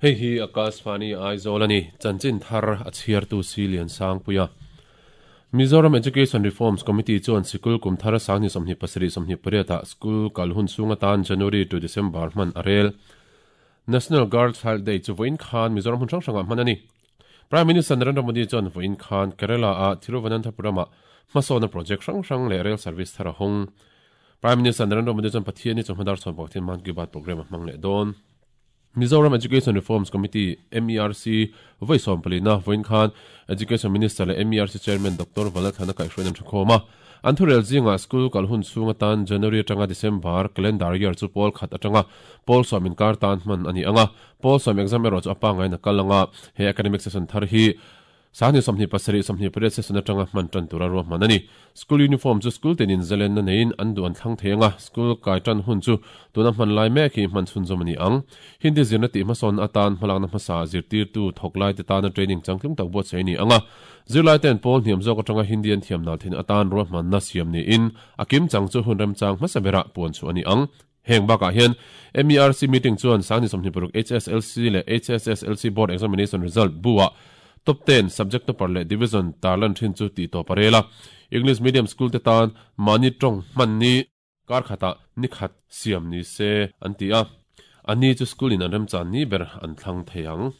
Hei hi Akashvani Aizawl a ni, chanchin thar a chhiartu si Liansangpuia. Mizoram Education Reforms Committee chuan sikul kum thar sangni 27 28 ah school kal hun chhung atan January to December hman a rel. National Girl Child Day chu vawiin khan Mizoram hmun hrang hrangah hman a ni. Prime Minister Narendra Modi chuan vawiin khan Kerala-a Thiruvananthapuram-ah hmasawnna project hrang hrang leh rail service thar a hawng. Prime Minister Narendra Modi chuan Pathianni chawhma dar chhuan pakhatin Mann Ki Baat programme a hmang leh dawn. Mizoram Education Reforms Committee, MERC, vawi sawmpalina vawiin khan Education Minister leh MERC Chairman Doctor Vanlalthlana kaihhruaiin an ṭhakhawm a. An thurel zingah school kal hun chhung atan January atanga December calendar year chu pawl khat atanga pawl sawm inkar tan hman a ni ang a. Pawl sawm exam erawh chu a pangngain a kal ang a, he academic session thar hi Sangni 27, 28 session atanga hman tan tura ruahman a ni. School uniform chu school tenin zalenna neiin an duh an thlang thei ang a, school kai tan hun chu tuna hman lai mek hi hman chhunzawm a ni ang. Hindi zirna tih hmasawn atan hmalakna hmasa zirtirtu thawk laite tana training changtlung tak buatsaih a ni ang a, zirlaite'n pawl hniam zawk atanga Hindi an thiam nal thin atan ruahmanna siam niin a kimchang chu hun remchang hmasa berah puan chhuah a ni ang. Heng bakah hian MERC meeting chuan sangni 26 HSLC leh HSSLC Board Examination Result bu-ah Top ten subject topper leh division tarlan thin chu tih tawp a rel a. English medium school te tan mahni tawng hman ni kar khatah ni khat siam ni se an ti a. A ni chu school in an remchan ni ber an thlang thei ang.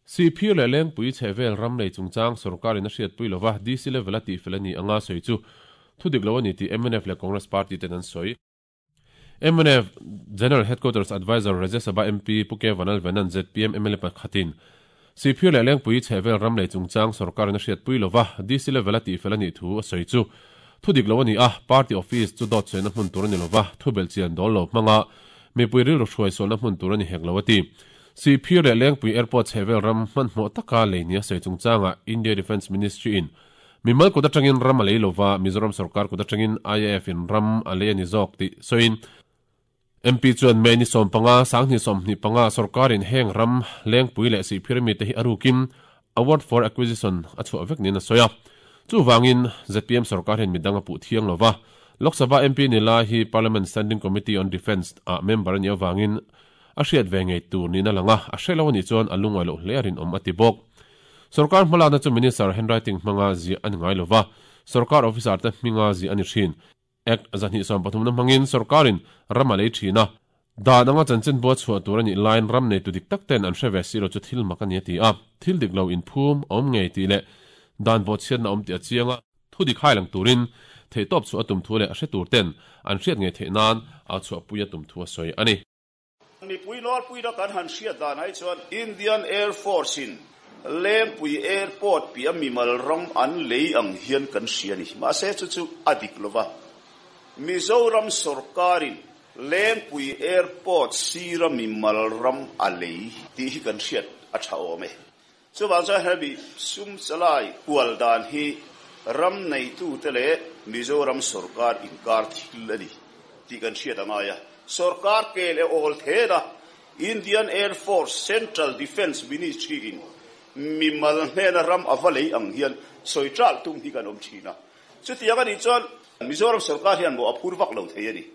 Sihphir leh Lengpui chhehvel ram lei chungchang sorkarin a hriatpui lova DC level a tihfel a ni anga sawi chu thudik lo a ni tih mnf leh Congress party ten an sawi. Mnf General Headquarters Adviser Rajya Sabha MP Pu K Vanalvenan zpm mla pakhatin Sihphir leh Lengpui chhehvel ram lei chungchang sorkarin a hriatpui lova DC level a tihfel a nih thu a sawi chu thu dik lo a ni a, party office chu dawt sawina hmun tur a ni lova, thu belhchian dawl lo hmanga mipui rilru hruai sualna hmun tur a ni hek lo a ti. Sihphir leh Lengpui Airport chhehvel ram hmanhmawh taka lei nia sawi chungchangah India Defence Ministry in Mimal kut atangin ram a lei lova, Mizoram sorkar kut atangin IAF in ram a lei a ni zawk tih sawiin MP chuan May ni 15, 2025 sorkarin heng ram Lengpui leh Sihphir mite hi a rukin Award for Acquisition a chhuah vek niin a sawi a. Chuvangin zpm sorkar hian midang a puh thiang lova, Lok Sabha MP ni lai hi Parliament Standing Committee on Defence ah member a nih avangin a hriat ve ngei tur niin a lang a, a hre lo a nih chuan a lungawi loh hle a rinawm a ti bawk. Sorkar hmalakna chu Minister handwriting hmanga ziah a ni ngai lova, sorkar officer te hminga ziah a ni thin. Act 233 hmangin sorkarin ram a lei thin a, dan anga chanchin bua chhuah tur a nih laiin ram neitu dik tak ten an hre ve si lo chu thil mak a ni a ti a, thil dik lo inphum a awm ngei tih leh dan bawhchhiatna a awm tih a chiang a, thu dik hai lang turin theihtawp chhuah a tum thu leh a hre tur ten an hriat ngei theih nan au chhuahpui a tum thu a sawi a ni. Mipui nawlpuina kan han hriat dan ai chuan Indian Air Force in Lengpui Airport piah mimal ram an lei ang hian kan hria a ni. Mahse chu chu a dik lova. Mizoram sorkarin Lengpui Airport sira mimal ram a lei tih hi kan hriat a tha awm e. Chuvang chuan hemi sum chalai kual dan hi ram neitute leh Mizoram sorkar inkar thil a ni tih kan hriat a ngai a. Sorkar ke leh awl then a, Indian Air Force Central Defence Ministry in mimal hnena ram a va lei ang hian sawi ṭalh tum hi kan awm ṭhin a. Chutiang a nih chuan Mizoram sorkar hian mawh a phur vak lo thei a ni.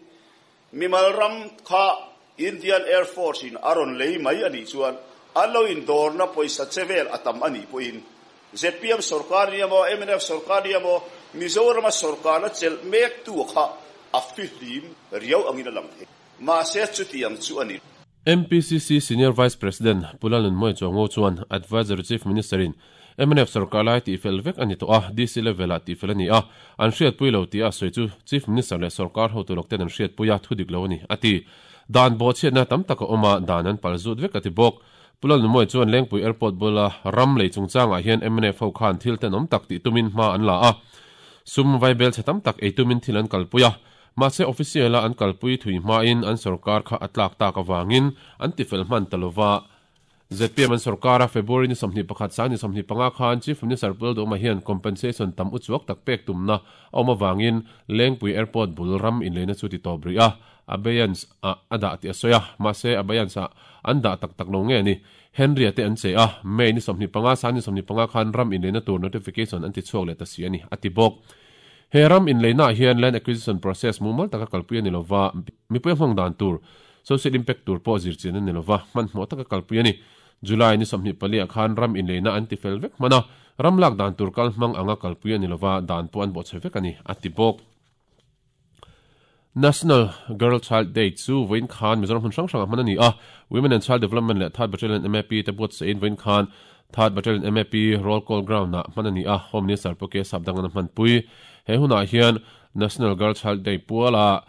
Mimal ram kha Indian Air Force in a rawn lei mai a nih chuan an lo indawrna pawisa che vel a tam a nih pawhin zpm sorkar nia maw, mnf sorkar nia maw, Mizorama sorkarna chelh mektu kha a fihlim riau angin a lang thei. Mahse chutiang chu a ni. MPCC Senior Vice President Pu Lalnunmawia Chuango chuan Advisory Chief Minister in mnf sorkar lai tihfel vek a ni tawh a, DC level ah tihfel a ni a, an hriatpui lo tih a sawi chu Chief Minister leh sorkar hotu lawk ten an hriatpui a, thudik lo a ni, a ti. Dan bawhchhiatna tam tak a awm a, dan an pal zut vek a ti bawk. Pu Lalnunmawia chuan Lengpui Airport bula ram lei chungchangah hian mnf ho khan thil tenawm tak tih tumin hma an la a, sum vaibel chhe tam tak ei tumin thil an kalpui a, mahse official a an kalpui thui hmain an sorkar kha a tlak tak avangin an tifel hman ta lova. Zpm an sorkar a, February ni 21 sang ni 25 khan Chief Minister Pu Lalduhoma hian compensation tam uchuak tak pek tumna a awm avangin Lengpui Airport bul ram inleina chu ti tawp rih a, abeyance ah a dah tih a sawi a, mahse abeyance ah an dah tak tak lo nge ni. Henry-a te an che a, May ni 25 sang ni 25 khan ram inleina tur notification an ti chhuak leh ta si a ni, a ti bawk. He ram inleina ah hian land acquisition process mumal taka kalpui a ni lova, mipui a hmang dan tur. Social impact tur pawh zir chian a ni lova, hmanhmawh taka kalpui a ni. July ni 24 ah khan ram inleina an tifel vek hman a, ram lak dan tur kal hmang anga kalpui a ni lova, dan pawh an bawhchhe vek a ni, a ti bawk. National Girl Child Day chu vawiin khan Mizoram hmun hrang hrangah hman a ni a, Women and Child Development leh Third Battalion MAP te buatsaih in vawiin khan Third Battalion MAP Roll Call Ground ah hman a ni a, Home Minister Pu K Sapdang an a hmanpui. He hunah hian National Girl Child Day puala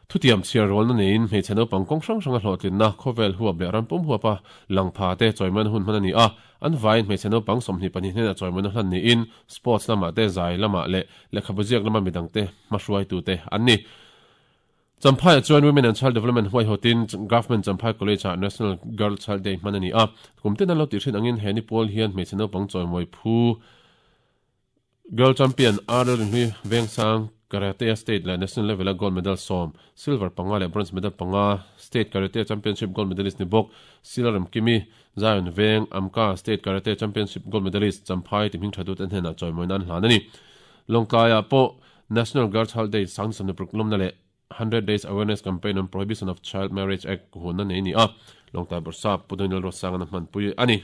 Thutiam chhiar rualna neiin hmeichhe naupang kawng hrang hranga hlawhtlinna, khawvel huap leh ram pum huapa lang pha te chawimawina hun hman a ni a. An vaiin hmeichhe naupang 22 hnenah chawimawina hlan niin sports lamah te, zai lamah leh lehkhabu ziak lama midangte hmahruaitute an ni. Champhaiah chuan Women and Child Development huaihawtin Government Champhai College-ah National Girl Child Day hman a ni a. Kum tin an lo tih hrin angin he ni pawl hian hmeichhe naupang chawimawi phu Girl Champion Arnold Rinhlui Vengsang Karate State leh National Level-a Gold Medal sawm, Silver panga leh Bronze Medal panga, State Karate Championship Gold Medalist ni bawk Sila Remkimi, Zion Veng, Amka State Karate Championship Gold Medalist Champhai ti hming thatute hnenah chawimawina an hlan a ni. Lawngtlaiah pawh National Girl Child Day sang 26 lawmna leh 100 Days Awareness Campaign on Prohibition of Child Marriage Act hunna nei a ni a, Lawngtlai Bawrhsap Pu Daniel Ruatsanga'n a hmanpui a ni.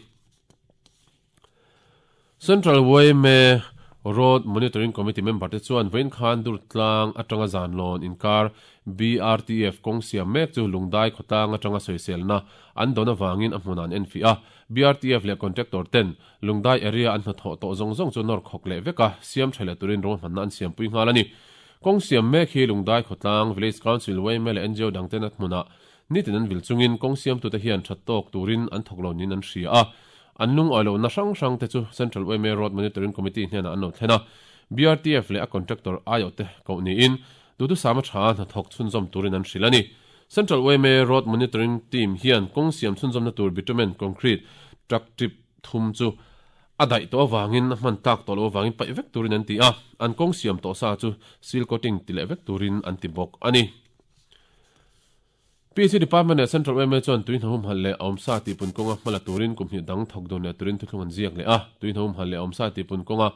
Central yma Road Monitoring Committee member te chuan vawiin khan Durtlang atanga Zanlawn inkar BRTF kawng siam mek chu Lungdai khawtlang atanga sawiselna an dawn avangin a hmunah an enfiah a. BRTF leh contractor ten Lungdai area an hnathawh tawh zawng zawng chu nawr khawk leh vek a, siam tha leh turin ruahmanna an siampui nghal a ni. Kawng siam mek hi Lungdai khawtlang, Village Council, yma leh ngo dangten a hmunah nitin an vil chungin kawng siamtute hian that tawk turin an thawk lo niin an hria a. An lungawi lohna hrang hrang te chu Central yma Road Monitoring Committee hnenah an lo thlen a, BRTF leh a contractor aiawhte koh niin duhthusam a tha hnathawk chhunzawm turin an hrilh a ni. Central yma Road Monitoring Team hian kawng siam chhunzawmna tur bitumen concrete truck trip thum chu a daih tawh avangin a hman tlak tawh loh avangin paih vek turin an ti a, an kawng siam tawh sa chu seal coating ti leh vek turin an ti bawk a ni. PC Department leh Central yma chuan tui hnahum halh leh awmsa tihpun kawnga hma la turin kum hnih dang thawk dun leh turin thuthlung an ziak leh a. Tui hnahum halh leh awmsa tihpun kawnga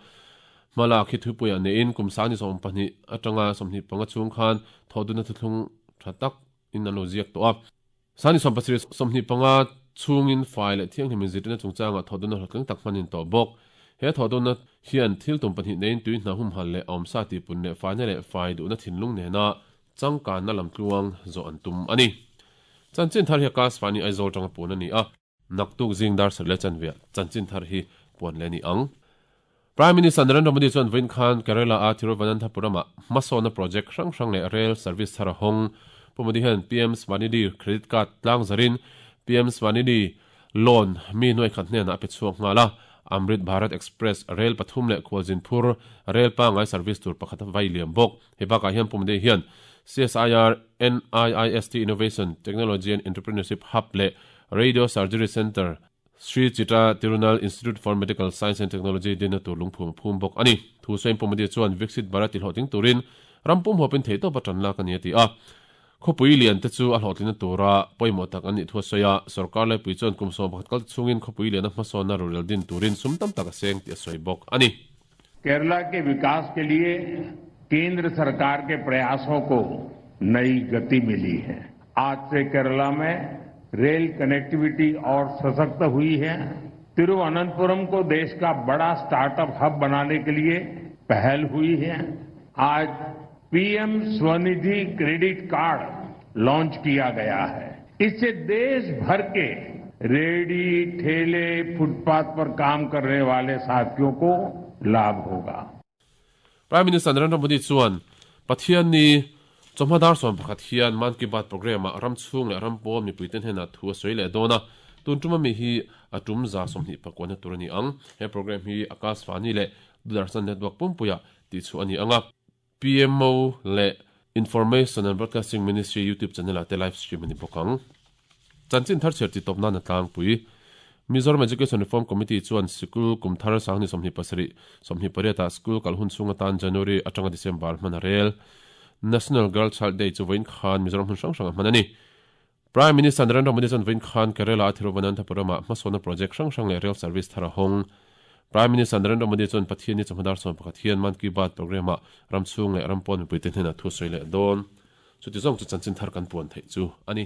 hma lak hi thupuiah neiin kum 22 atanga 25 chhung khan thawh dunna thuthlung tha tak in an lo ziak tawh a. 27 25 chhungin fai leh thianghlim inzirtirna chungchangah thawh dunna hlawhtling tak hman in tawh bawk. He thawh dunna hian thil tum pahnih neiin tui hnahum halh leh awmsa tihpun leh faina leh fai duhna thinlung nena Changkanna lamtluang zawh an tum a ni. Chanchin thar hi Akashvani Aizawl tanga puan a ni a. Naktuk zing dar sarh leh chanveah chanchin thar hi puan leh a ni ang. Prime Minister Narendra Modi chuan vawiin khan Kerala-a Thiruvananthapuram-ah hmasawnna project hrang hrang leh rail service thar a hawng. Pu Modi hian PM Svanidhi Credit Card tlang zarin PM Svanidhi Loan mi nuai khat hnenah a pe chhuak nghal a, Amrit Bharat Express rel pathum leh khualzin phur rel pangngai service tur pakhat a vai liam bawk. Hei bakah hian Pu Modi hian CSIR NIIST Innovation, Technology and Entrepreneurship Hub leh Radio Surgery Centre, Sri Chitra Tirunal Institute for Medical Science and Technology dinna tur lungphum a phum bawk a ni. Thu sawiin Pu Modi chuan Viksit Bharat ti hlawhtling turin ram pum huapin theihtawp a tan lak a ni a ti a. Khawpui lian te chu a hlawhtlinna tura pawimawh tak an nih thu a sawi a, sorkar laipui chuan kum 11 kal chhungin khawpui liana hmasawnna rorel din turin sum tam tak a seng tih a sawi bawk a ni. Kerala ke vikas ke liye kendra sarkar ke prayason ko nayi gati mili hai. Aaj se Kerala mein rail connectivity aur sashakt hui hai. Thiruvananthapuram ko desh ka bada startup hub banane ke liye pahal hui hai. Aaj PM Svanidhi credit card launch kiya gaya hai. Isse desh bhar ke rehri, thele, footpath par kaam karne wale saathiyon ko laabh hoga. Prime Minister Narendra Modi chuan Pathianni chawhma dar 11 hian Mann Ki Baat programme-ah ram chhung leh ram pawn mipuite hnenah thu a sawi leh dawn a, tun tuma mi hi a tum 29 na tur a ni ang. He programme hi Akashvani leh Doordarshan Network pumpuiah tihchhuah a ni ang a. PMO leh Information and Broadcasting Ministry YouTube channel-ah te live stream a ni bawk ang. Chanchin thar chhiar titawp nan a tlangpui. Mizoram Education Reform Committee chuan sikul kum thar 2027, 28 ah school kal hun chhung atan January atanga December hman a rel. National Girl Child Day chu vawiin khan Mizoram hmun hrang hrangah hman a ni. Prime Minister Narendra Modi chuan vawiin khan Kerala-a Thiruvananthapuram-ah hmasawnna project hrang hrang leh rail service thar a hawng. Prime Minister Narendra Modi chuan Pathianni chawhma dar 11 hian Mann Ki Baat programme-ah ram chhung leh ram pawn mipuite hnenah thu sawi leh dawn. Chuti zawng chu chanchin thar kan puan theih chu a ni.